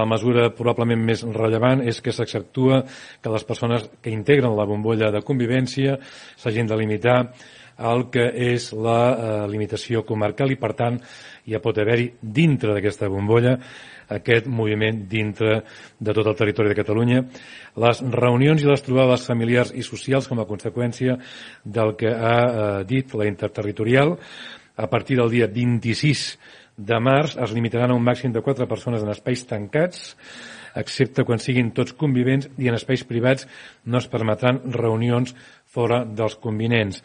la mesura probablement més rellevant és que s'accentua que les persones que integren la bombolla de convivència s'hagin de limitar al que és la limitació comarcal i, per tant, ja pot haver-hi dintre d'aquesta bombolla aquest moviment dintre de tot el territori de Catalunya. Les reunions i les trobades familiars i socials com a conseqüència del que ha dit la interterritorial, a partir del dia 26 de març es limitaran a un màxim de 4 persones en espais tancats, excepte quan siguin tots convivents, i en espais privats no es permetran reunions fora dels convivents.